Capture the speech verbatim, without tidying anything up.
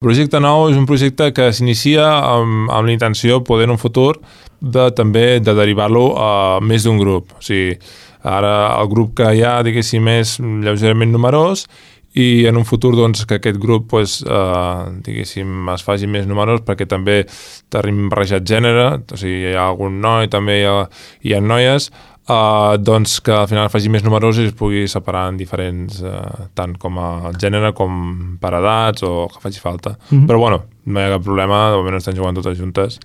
El projecte nou és un projecte que s'inicia amb, amb la intenció, poder en un futur, de també de derivar-lo a més d'un grup. O sigui, ara el grup que hi ha, diguéssim, és lleugerament numerós, i en un futur doncs, que aquest grup pues, eh, diguéssim, es faci més numerós perquè també tenim barrejat gènere, o sigui, hi ha algun noi, també hi ha, hi ha noies, Uh, doncs que al final faci més numerós i es pugui separar en diferents, uh, tant com a gènere com per edats o que faci falta. Mm-hmm. Però bueno, no hi ha cap problema, de moment estan jugant totes juntes.